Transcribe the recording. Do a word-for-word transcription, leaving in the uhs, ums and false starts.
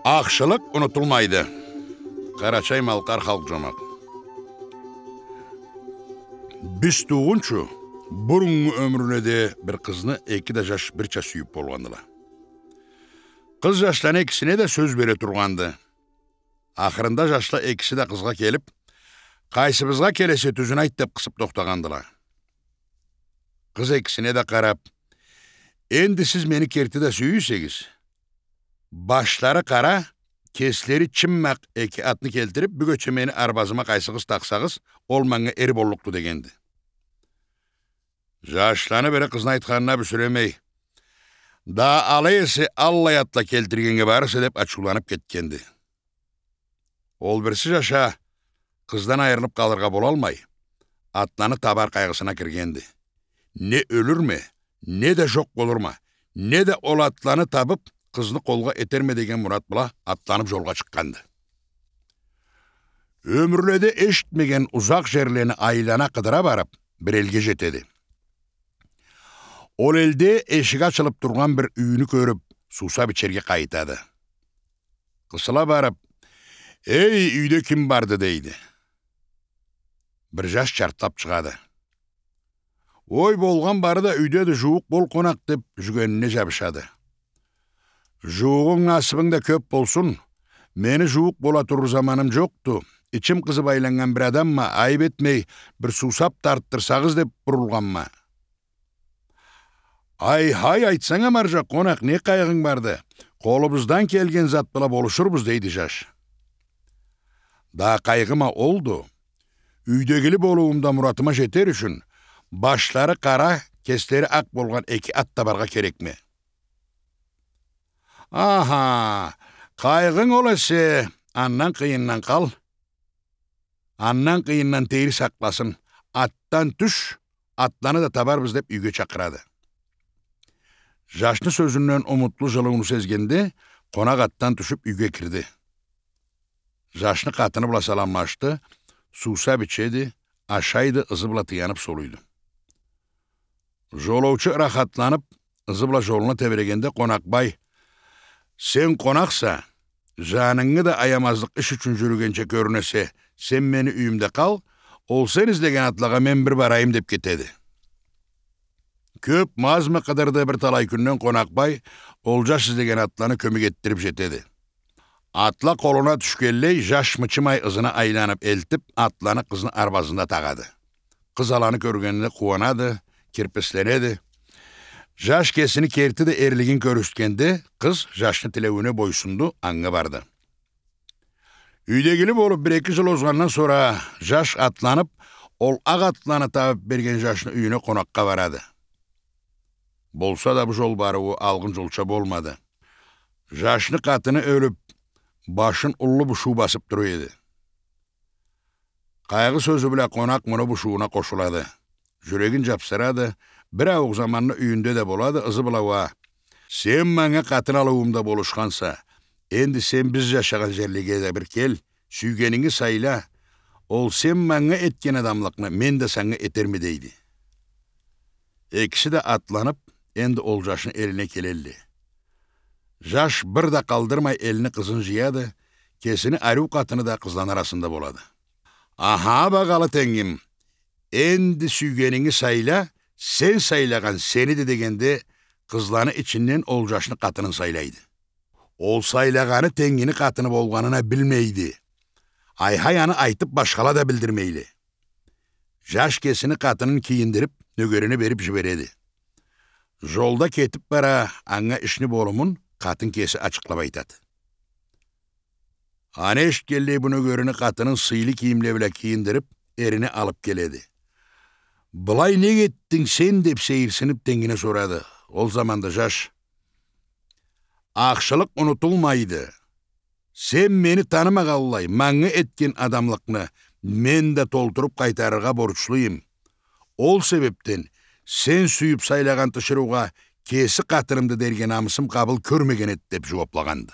Ахшылыкъ унутулмайды. Къарачай-малкъар халкъ жомакъ. Биз туугъунчу, буруннгу ёмюрледе бир къызны эки да жаш бирча сюйюп болгъандыла. Къыз жашланы экисине да сёз бере тургъанды. Ахырында жашла экиси да къызгъа келип, «Къайсыбызгъа келесе, тюзюн айт», — деп къысып тохтагъандыла. Къыз экисине да къарап: «Энди сиз мени керти да сюйюйсегиз, башлары къара, кеслери чыммакъ эки атны келтирип, бюгече мени арбазыма къайсыгъыз такъсагъыз, ол манга эр боллукъду», — дегенди. Жашланы бири къызны айтханына бюсюремей: «Да алай эсе, аллай атла келтиргеннге барырса», — деп ачыуланып кетгенди. Ол бирси жаш а къыздан айырылып къалыргъа болалмай, атланы табар къайгъысына киргенди. Не ёлюрме, не да жокъ болурма, не да ол атланы табып, къызны къолгъа этерме деген мурат бла атланып жолгъа чыкъгъанды. Ёмюрледе эшитмеген узакъ жерлени айлана къыдыра барып, бир элге жетеди. Ол элде эшиги ачылып тургъан бир юйню кёрюп, суусап ичерге къайытады. Къысыла барып: «Эй, юйде ким барды?» — дейди. Бир жаш чартлап чыгъады. «Ой, болгъан бары да юйдеди, жууукъ бол, къонакъ», — деп, жюгенине жабышады. «Жууугъунг, насыбынг да кёп болсун. Мени жууукъ бола турур заманым жокъду. Ичим къызып айланнган бир адамма, айып этмей, бир суусап тартдырсагъыз деп бурулгъанма». «Ай-хай, айтсанг а, маржа къонакъ, не къайгъынг барды? Къолубуздан келген зат бла болушурбуз», — дейди жаш. «Да къайгъым а олду. Юйдегили болуум да муратыма жетер ючюн, башлары къара, кеслери акъ болгъан эки ат табаргъа керекме». «Аха, къайгъынг ол эсе, андан къыйындан къал. Андан къыйындан Тейри сакъласын. Атдан тюш, атланы да табарбыз», — деп, юйге чакъырады. Жашны сёзюнден умутлу жылыуну сезгенде, къонакъ атдан тюшюп, юйге кирди. Жашны къатыны бла саламлашды, суусап ичеди, ашайды, ызы бла тыянып солуйду. Жолоучу ырахатланып, ызы бла жолуна тебирегенде, къонакъбай: «Сен къонакъса, жанынгы да аямазлыкъ иш ючюн жюрюгенча кёрюнесе, сен мени юйюмде къал, ол сен излеген атлагъа мен бир барайым», — деп кетеди. Кёпмю, азмы къыдырды, бир талай кюнден къонакъбай ол жаш излеген атланы кёмек этдирип жетеди. Атла къолуна тюшгенлей, жаш мычымай ызына айланып элтип, атланы къызны арбазында тагъады. Къыз аланы кёргенине къууанады, кирписленеди. Жаш кесини керти да эрлигин кёргюзтгенде, къыз жашны тилеуюне бойсунду, анга барды. Юйдегили болуп, бир-эки жыл озгъандан сора жаш атланып, ол акъ атланы табып берген жашны юйюне къонакъгъа барады. Болса да, бу жол барыуу алгъын жолча болмады. Жашны къатыны ёлюп, башын уллу бушуу басып тура эди. Къайгъы сёзю бла къонакъ муну бушууна къошулады. Жюрегин жапсырады, бир ауукъ заманны юйюнде да болады, ызы бла уа: «Сен манга къатын алыуумда болушханса, энди сен биз жашагъан жерлеге да бир кел, сюйгенинги сайла, ол сен манга этген адамлыкъны мен да санга этерме», — дейди. Экиси да атланып, энди ол жашны элине келелле. Жаш бир да къалдырмай элни къызын жыяды, кесини ариу къатыны да къызланы арасында болады. «Аха, багъалы тенгим, энди сюйгенинги сайла, сен сайлагъан сениди», — дегенде, къызланы ичинден ол жашны къатынын сайлайды. Ол сайлагъаны тенгини къатыны болгъанын а билмейди. Ай-хай, аны айтып, башхала да билдирмейле. Жаш кесини къатынын кийиндирип, нёгерине берип жибереди. Жолда кетип бара, анга ишни болумун къатын кеси ачыкълап айтады. Аны эшитгенлей, бу нёгерини къатынын сыйлы кийимле бла кийиндирип, эрине алып келеди. «Былай нек этдинг сен?» — деп сейирсинип, тенгине сорады. Ол заманда жаш: «Ахшылыкъ унутулмайды. Сен мени танымагъанлай, манга этген адамлыкъны мен да толтуруп къайтарыргъа борчлуюм. Ол себепден сен сюйюп сайлагъан тиширыугъа кеси къатынымды дерге намысым къабыл кёрмеген эди», — деп жууаплагъанды.